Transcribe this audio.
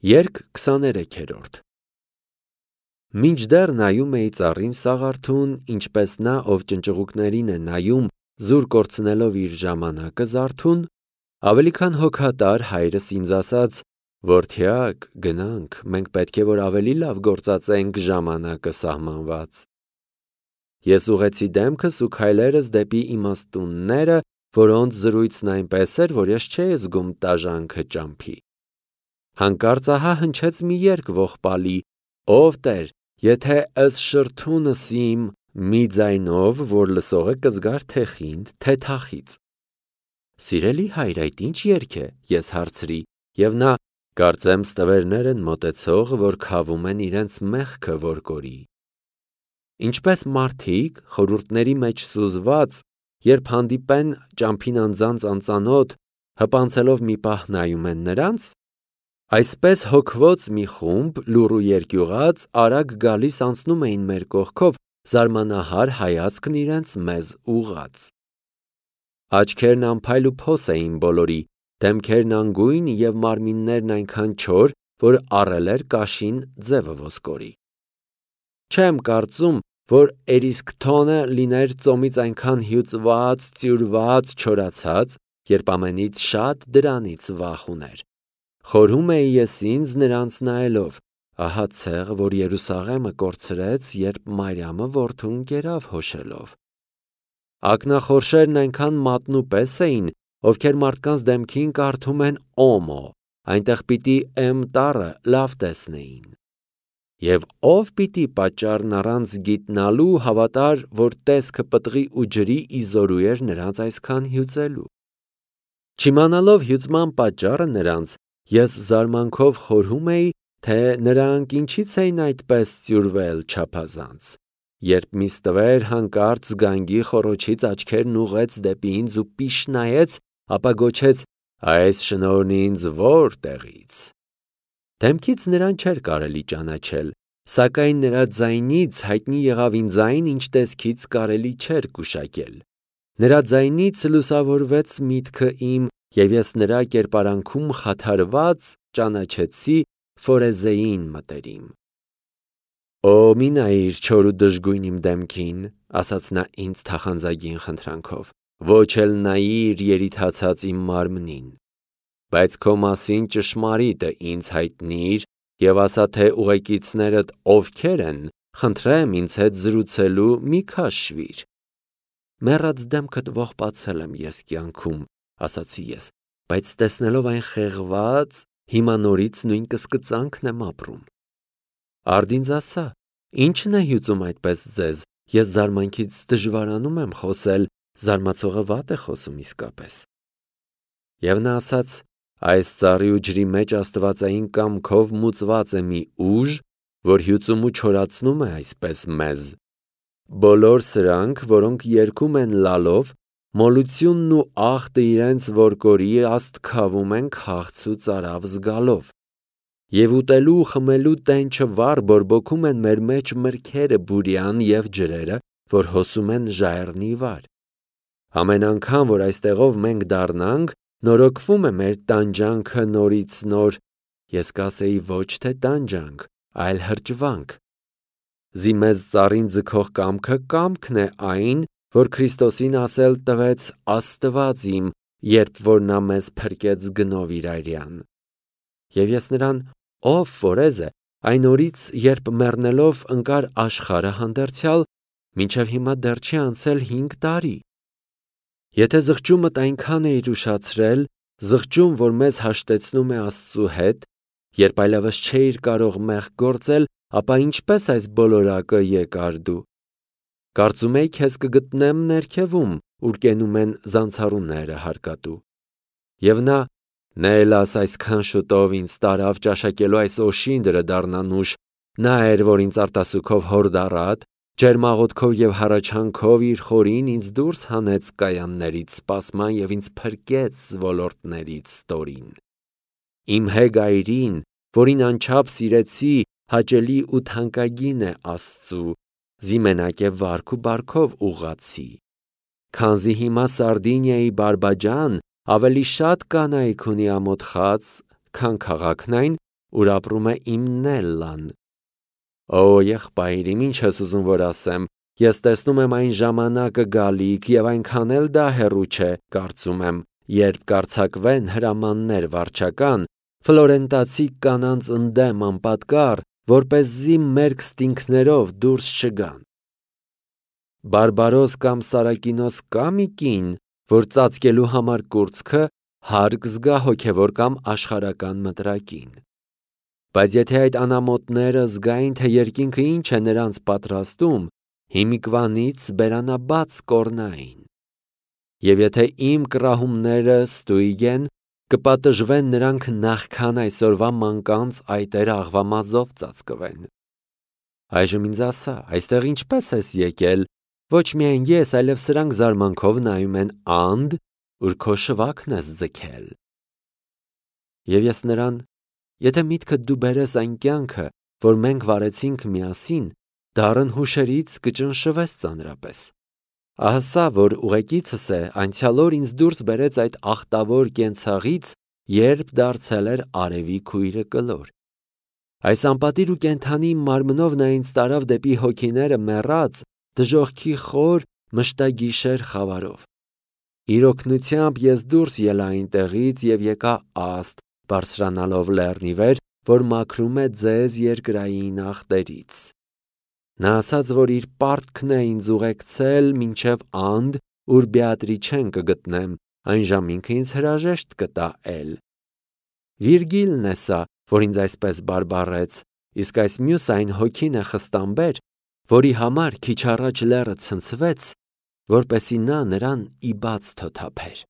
Երգ 23-րդ Մինչդեռ նայում էի ծառին Սաղարթուն, ինչպես նա, ով ճնճղուկներին է նայում, զուր կորցնելով իր ժամանակը զարթուն, ավելի քան հոգատար հայրս ինձ ասաց. «Որդյակ, գնանք, մենք պետք է որ ավելի լավ գործածենք ժամանակը սահմանված»։ Ես ուղղեցի դեմքս ու քայլերս դեպի իմաստունները, որոնց զրույցն այնպես էր, որ ես չէի զգում տաժանքը ճամփի։ Հանկարծ ահա հնչեց մի երգ ողբալի. «Ով Տեր, եթե ըս շրթունս իմ» մի ձայնով, որ լսողը կզգար թե խինդ, թե թախիծ։ «Սիրելի հայր, այդ ինչ երգ է»։ Ես հարցրի, և նա. «Կարծեմ ստվերներ են մոտեցող, որ քավում են իրենց մեղքը որ կորի»։ Ինչպես մարդիկ, խորհուրդների մեջ սուզված, երբ հանդիպեն ճամփին անձանց անծանոթ, հպանցելով մի պահ նայում են նրանց, այսպես հոգված մի խումբ լուռ ու երկյուղած արագ գալիս անցնում էին մեր կողքով, զարմանահար հայացքն իրենց մեզ ուղղած։ Աչքերն անփայլ ու փոս էին բոլորի, դեմքերն անգույն և մարմիններն այնքան չոր, որ առել էր կաշին ձևը ոսկորի։ Չեմ կարծում, որ Էրիսկթոնը լիներ ծոմից այնքան հյուծված, ծյուրված, չորացած, երբ ամենից շատ դրանից վախ ուներ։ Խորհում էի ես ինձ նրանց նայելով, ահա ցեղ, որ Երուսաղեմը կորցրեց, երբ Մարիամը որդուն կերավ հոշելով։ Ակնախորշերն այնքան մատնու պես էին, ովքեր մարդկանց դեմքին կարդում են օմո, այնտեղ պիտի էմ տառը լավ տեսնեին։ Եվ ով պիտի պատճառն առանց գիտնալու հավատար, որ տեսքը պտղի ու ջրի իզորու էր նրանց այսքան հյուծելու։ Չիմանալով հյուծման պատճառը նրանց, ես զարմանքով խորհում էի, թե նրանք ինչից էին այդպես ծյուրվել չափազանց, երբ մի ստվեր հանկարծ զգանգի խոռոչից աչքերն ուղղեց դեպի ինձ ու պիշ նայեց, ապա գոչեց. «Այս շնորհն ինձ որտեղից»։ Դեմքից նրան չէր կարելի ճանաչել, սակայն նրա ձայնից հայտնի եղավ ինձ այն, ինչ տեսքից կարելի չէր գուշակել։ Նրա ձայնից լուսավորվեց միտքը իմ, և ես նրա կերպարանքում խաթարված ճանաչեցի Ֆորեզեին մտերիմ։ «Օ, մի նայիր չոր ու դժգույն իմ դեմքին», ասաց նա ինձ թախանձագին խնդրանքով, «ոչ էլ նայիր երիթացած իմ մարմնին, բայց քո մասին ճշմարիտը ինձ հայտնիր և ասա, թե ուղեկիցներդ ովքեր են, խնդրեմ ինձ հետ զրուցելու մի քաշվիր»։ «Մեռած դեմքդ ողբացել եմ ես կյանքում», ասացի ես, «բայց տեսնելով այն խեղված, հիմա նորից նույն կսկծանքն եմ ապրում»։ Արդ ինձ ասա, ի՞նչն է հյուծում այդպես ձեզ, ես զարմանքից դժվարանում եմ խոսել, զարմացողը վատ է խոսում իսկապես։ Եվ նա ասաց. «Այս ծառի ու ջրի մեջ աստվածային կամքով մուծված է մի ուժ, որ հյուծում ու չորացնում է այսպես մեզ։ Բոլոր սրանք, որոնք երգում են լալով, մոլությունն ու աղտը իրենց որ կորի աստքավում են քաղց ու ծարավ զգալով։ Եվ ուտելու ու խմելու տենչը վառ բորբոքում են մեր մեջ մրգերը բուրյան և ջրերը, որ հոսում են ժայռնի վար։ Ամեն անգամ, որ այստեղով մենք դառնանք, նորոգվում է մեր տանջանքը նորից նոր, ես կասեի ոչ թե տանջանք, այլ հրճվանք։ Զի մեզ ծառին ձգող կամքը կամքն է այն, որ Քրիստոսին ասել տվեց Աստված իմ, երբ որ նա մեզ փրկեց գնով իր արյան։ Եվ ես նրան, ով Ֆորեզը, այն օրից, երբ մեռնելով ընկար աշխարհը հանդերձյալ, մինչև հիմա դեռ չի անցել 5 տարի։ Եթե զղջումդ այնքան էիր ուշացրել, զղջում, որ մեզ հաշտեցնում է Աստծու հետ, երբ այլևս չէիր կարող մեղք գործել, ապա ինչպես այս բոլորակը եկար դու։ Կարծում էի քեզ կգտնեմ ներքևում, ուր կենում են զանցառուները հարկատու։ Եվ նա «Նելաս այսքան շուտով ինձ տարավ ճաշակելու այս օշինդրը դառնանուշ, նա էր, որ ինձ արտասուքով հորդառատ, ջերմաղոտքով և հառաչանքով իր խորին ինձ դուրս հանեց կայաններից սպասման և ինձ փրկեց ոլորտներից ստորին։ Իմ հեգայրին, որին անչափ սիրեցի, հաճելի ու թանկագին է Աստծու, զի մենակ է վարք ու բարքով ուղղացի։ Քանզի հիմա Սարդինիայի բարբաջան ավելի շատ կանայք ունի ամոթխած, քան քաղաքն այն, ուր ապրում է իմ Նելլան։ Օ, եղբայր իմ, ինչ ես ուզում որ ասեմ, ես տեսնում եմ այն ժամանակը գալիք և այնքան էլ դա հեռու չէ, կարծում եմ, երբ կարձակվեն հրամաններ վարչական, ֆլորենտացի կանանց ընդդեմ անպատկառ, որպեսզի մերկ ստինքներով դուրս չգան։ Բարբարոս կամ Սարակինոս կա մի կին, որ ծածկելու համար կուրծքը հարկ զգա հոգևոր կամ աշխարհական մտրակին։ Բայց եթե այդ անամոթները զգային, թե երկինքը ինչ է նրանց պատրաստում, հիմիկվանից բերանաբաց կորնային։ Եվ եթե իմ կռահումները ստույգ են, կպատժվեն նրանք նախքան այսօրվա մանկանց այտերը աղվամազով ծածկվեն։ Այժմ ինձ ասա, այստեղ ինչպես ես եկել, ոչ միայն ես, այլև սրանք զարմանքով նայում են анд, ուր քո շվաքն ես ձգել։ Եվ ես նրան, եթե միտքդ դու բերես այն կյանքը, որ մենք վարեցինք միասին, դառն հուշերից կճնշվես ծանրապես։ Ահասա, որ ուղեկիցս է անցյալ օր ինձ դուրս բերեց այդ ախտավոր կենցաղից, երբ դարձել էր արևի քույրը կլոր։ Այս անպատիր ու կենդանի մարմնով նա ինձ տարավ դեպի հոգիները մեռած, դժոխքի խոր մշտագիշեր խավարով։ Իր օգնությամբ ես դուրս ելա այնտեղից և եկա աստ, բարձրանալով լեռնի վեր, որ մաքրում է ձեզ երկրային ախտերից։ Նա ասաց, որ իր պարտքն է ինձ ուղեկցել մինչև анд, ուր Բեատրիչեն կգտնեմ, այն ժամինքը ինձ հրաժեշտ կտա էլ։ Վիրգիլն է սա, որ ինձ այսպես բարբառեց, իսկ այս մյուս այն հոգին է խստամբեր, որի համար քիչ առաջ լեռը ցնցվեց, որպեսի նա նրան ի բաց թոթափեր։